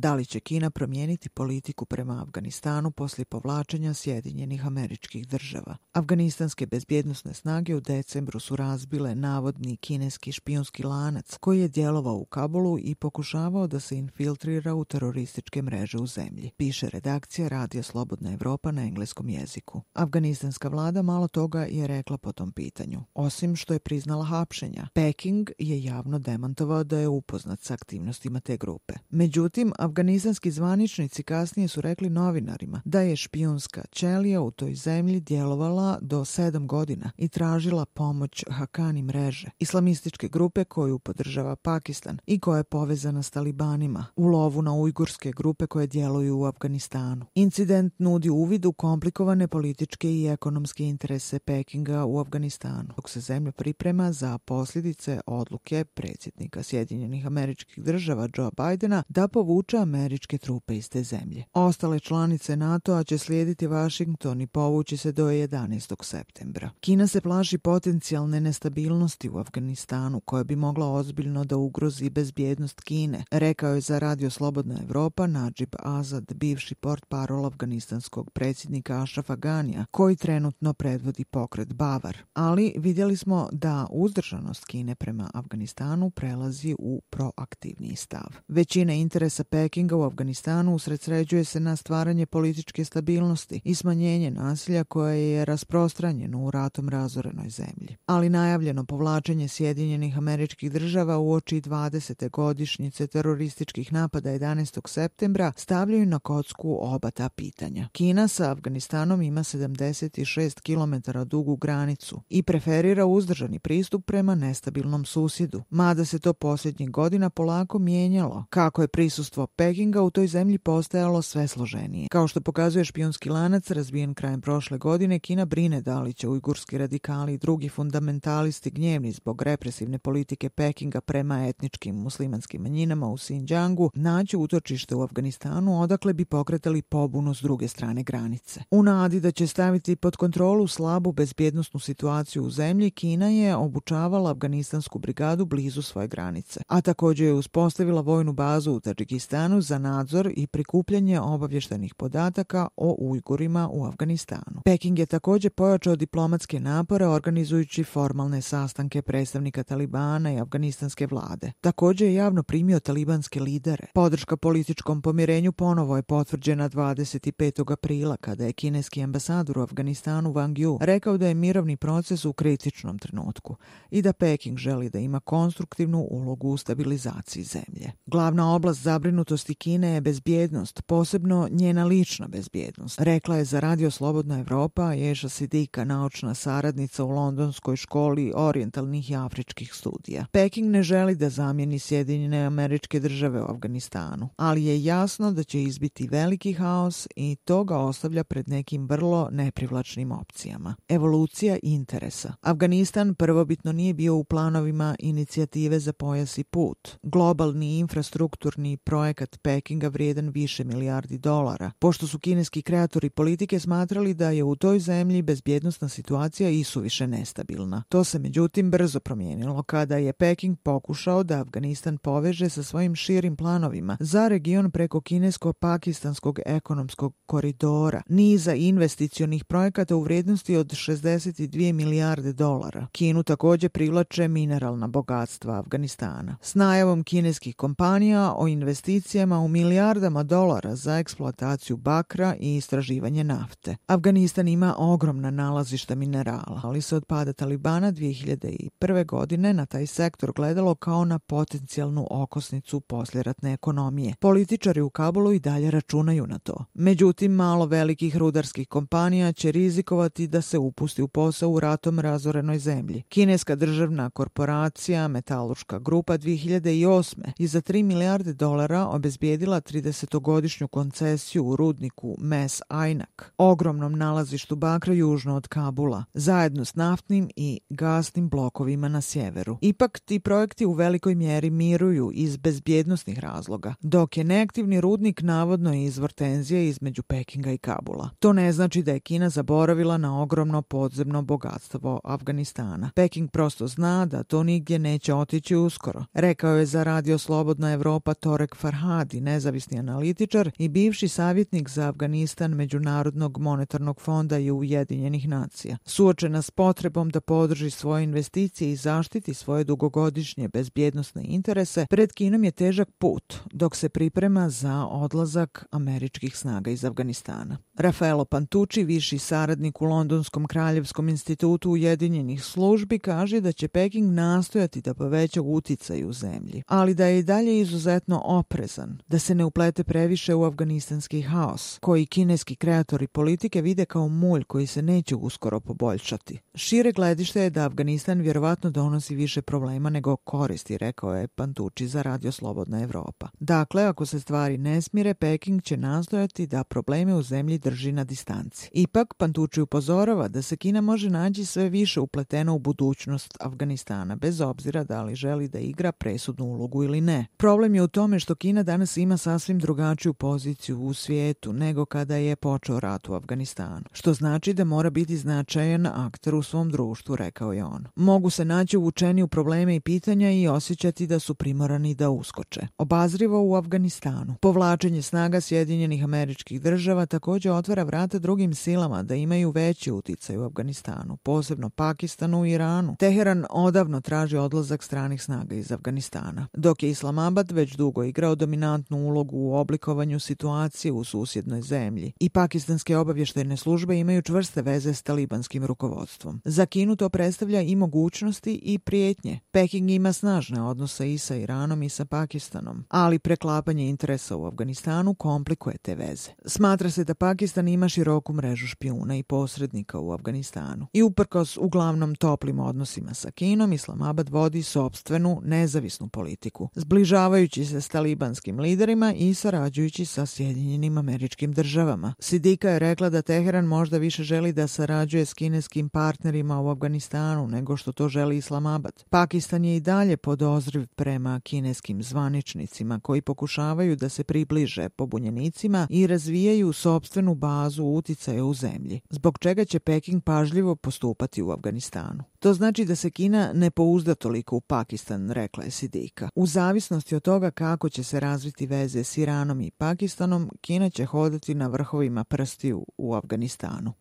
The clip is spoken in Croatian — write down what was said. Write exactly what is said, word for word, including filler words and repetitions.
Da li će Kina promijeniti politiku prema Afganistanu poslije povlačenja Sjedinjenih Američkih Država? Afganistanske bezbjednosne snage u decembru su razbile navodni kineski špijunski lanac koji je djelovao u Kabulu i pokušavao da se infiltrira u terorističke mreže u zemlji, piše redakcija Radija Slobodna Evropa na engleskom jeziku. Afganistanska vlada malo toga je rekla po tom pitanju, osim što je priznala hapšenja. Peking je javno demantovao da je upoznat s aktivnostima te grupe. Međutim, afganistanski zvaničnici kasnije su rekli novinarima da je špijunska ćelija u toj zemlji djelovala do sedam godina i tražila pomoć Hakani mreže, islamističke grupe koju podržava Pakistan i koja je povezana s talibanima, u lovu na ujgurske grupe koje djeluju u Afganistanu. Incident nudi uvid u komplikovane političke i ekonomske interese Pekinga u Afganistanu, dok se zemlja priprema za posljedice odluke predsjednika Sjedinjenih Američkih Država Joe Bidena da povuče američke trupe iz te zemlje. Ostale članice NATO-a će slijediti Washington i povući se do jedanaestog septembra. Kina se plaši potencijalne nestabilnosti u Afganistanu koja bi mogla ozbiljno da ugrozi bezbjednost Kine, rekao je za Radio Slobodna Evropa Najib Azad, bivši portparol afganistanskog predsjednika Ashrafa Ganija, koji trenutno predvodi pokret Bavar. Ali vidjeli smo da uzdržanost Kine prema Afganistanu prelazi u proaktivniji stav. Većina interesa Pekinga u Afganistanu usredsređuje se na stvaranje političke stabilnosti i smanjenje nasilja koje je rasprostranjeno u ratom razorenoj zemlji. Ali najavljeno povlačenje Sjedinjenih Američkih Država uoči dvadesete godišnjice terorističkih napada jedanaestog septembra stavljaju na kocku oba ta pitanja. Kina sa Afganistanom ima sedamdeset šest kilometara dugu granicu i preferira uzdržani pristup prema nestabilnom susjedu, mada se to posljednjih godina polako mijenjalo, kako je prisustvo Pekinga u toj zemlji postajalo sve složenije. Kao što pokazuje špijunski lanac razbijen krajem prošle godine, Kina brine da li će ujgurski radikali i drugi fundamentalisti gnjevni zbog represivne politike Pekinga prema etničkim muslimanskim manjinama u Xinjiangu naći utočište u Afganistanu, odakle bi pokretali pobunu s druge strane granice. U nadi da će staviti pod kontrolu slabu bezbjednosnu situaciju u zemlji, Kina je obučavala afganistansku brigadu blizu svoje granice, a također je uspostavila vojnu bazu u Tadžikistanu za nadzor i prikupljanje obavještajnih podataka o Ujgurima u Afganistanu. Peking je također pojačao diplomatske napore organizujući formalne sastanke predstavnika Talibana i afganistanske vlade. Također je javno primio talibanske lidere. Podrška političkom pomirenju ponovo je potvrđena dvadeset petog aprila kada je kineski ambasador u Afganistanu Wang Yu rekao da je mirovni proces u kritičnom trenutku i da Peking želi da ima konstruktivnu ulogu u stabilizaciji zemlje. Glavna oblast zabrinutosti Kine je bezbjednost, posebno njena lična bezbjednost, rekla je za Radio Slobodna Evropa Ješa Sidika, naučna saradnica u Londonskoj školi orijentalnih i afričkih studija. Peking ne želi da zamijeni Sjedinjene Američke Države u Afganistanu, ali je jasno da će izbiti veliki haos i to ga ostavlja pred nekim vrlo neprivlačnim opcijama. Evolucija interesa. Afganistan prvobitno nije bio u planovima inicijative za pojas i put, globalni infrastrukturni projekat Pekinga vrijedan više milijardi dolara, pošto su kineski kreatori politike smatrali da je u toj zemlji bezbjednosna situacija isuviše nestabilna. To se međutim brzo promijenilo kada je Peking pokušao da Afganistan poveže sa svojim širim planovima za region preko kinesko-pakistanskog ekonomskog koridora, niza investicionih projekata u vrijednosti od šezdeset dvije milijarde dolara. Kinu također privlače mineralna bogatstva Afganistana, s najavom kineskih kompanija o investicijama u milijardama dolara za eksploataciju bakra i istraživanje nafte. Afganistan ima ogromna nalazišta minerala, ali se od pada Talibana dvije hiljade prve. godine na taj sektor gledalo kao na potencijalnu okosnicu poslijeratne ekonomije. Političari u Kabulu i dalje računaju na to. Međutim, malo velikih rudarskih kompanija će rizikovati da se upusti u posao u ratom razorenoj zemlji. Kineska državna korporacija Metalurška grupa dvije hiljade osme je za tri milijarde dolara obezbijedila tridesetogodišnju koncesiju u rudniku Mes Aynak, ogromnom nalazištu bakra južno od Kabula, zajedno s naftnim i gasnim blokovima na sjeveru. Ipak ti projekti u velikoj mjeri miruju iz bezbjednosnih razloga, dok je neaktivni rudnik navodno izvor tenzije između Pekinga i Kabula. To ne znači da je Kina zaboravila na ogromno podzemno bogatstvo Afganistana. Peking prosto zna da to nigdje neće otići uskoro, rekao je za Radio Slobodna Evropa Torek Farhani, Hadi, nezavisni analitičar i bivši savjetnik za Afganistan Međunarodnog monetarnog fonda i Ujedinjenih nacija. Suočena s potrebom da podrži svoje investicije i zaštiti svoje dugogodišnje bezbjednosne interese, pred Kinom je težak put dok se priprema za odlazak američkih snaga iz Afganistana. Rafaelo Pantucci, viši saradnik u Londonskom kraljevskom institutu Ujedinjenih službi, kaže da će Peking nastojati da poveća uticaj u zemlji, ali da je i dalje izuzetno oprezan, da se ne uplete previše u afganistanski haos, koji kineski kreatori politike vide kao mulj koji se neće uskoro poboljšati. Šire gledište je da Afganistan vjerovatno donosi više problema nego koristi, rekao je Pantucci za Radio Slobodna Evropa. Dakle, ako se stvari ne smire, Peking će nastojati da probleme u zemlji drži na distanci. Ipak, Pantucci upozorava da se Kina može naći sve više upletena u budućnost Afganistana, bez obzira da li želi da igra presudnu ulogu ili ne. Problem je u tome što Kina danas ima sasvim drugačiju poziciju u svijetu nego kada je počeo rat u Afganistanu, što znači da mora biti značajan akter u svom društvu, rekao je on. Mogu se naći uvučeni u probleme i pitanja i osjećati da su primorani da uskoče. Obazrivo u Afganistanu. Povlačenje snaga Sjedinjenih Američkih Država također otvara vrata drugim silama da imaju veći uticaj u Afganistanu, posebno Pakistanu i Iranu. Teheran odavno traži odlazak stranih snaga iz Afganistana, dok je Islamabad već dugo igrao dominantnu ulogu u oblikovanju situacije u susjednoj zemlji i pakistanske obavještajne službe imaju čvrste veze s talibanskim rukovodstvom. Za Kinu to predstavlja i mogućnosti i prijetnje. Peking ima snažne odnose i sa Iranom i sa Pakistanom, ali preklapanje interesa u Afganistanu komplikuje te veze. Smatra se da Pakistan ima široku mrežu špijuna i posrednika u Afganistanu. I uprkos uglavnom toplim odnosima sa Kinom, Islamabad vodi sopstvenu, nezavisnu politiku, zbližavajući se s talibanskim liderima i sarađujući sa Sjedinjenim Američkim Državama. Sidika je rekla da Teheran možda više želi da sarađuje s kineskim partnerima u Afganistanu nego što to želi Islamabad. Pakistan je i dalje podozriv prema kineskim zvaničnicima koji pokušavaju da se približe pobunjenicima i razvijaju sopstvenu bazu uticaja u zemlji, zbog čega će Peking pažljivo postupati u Afganistanu. To znači da se Kina ne pouzda toliko u Pakistan, rekla je Sidika. U zavisnosti od toga kako će se razviti veze s Iranom i Pakistanom, Kina će hodati na vrhovima prstiju u Afganistanu.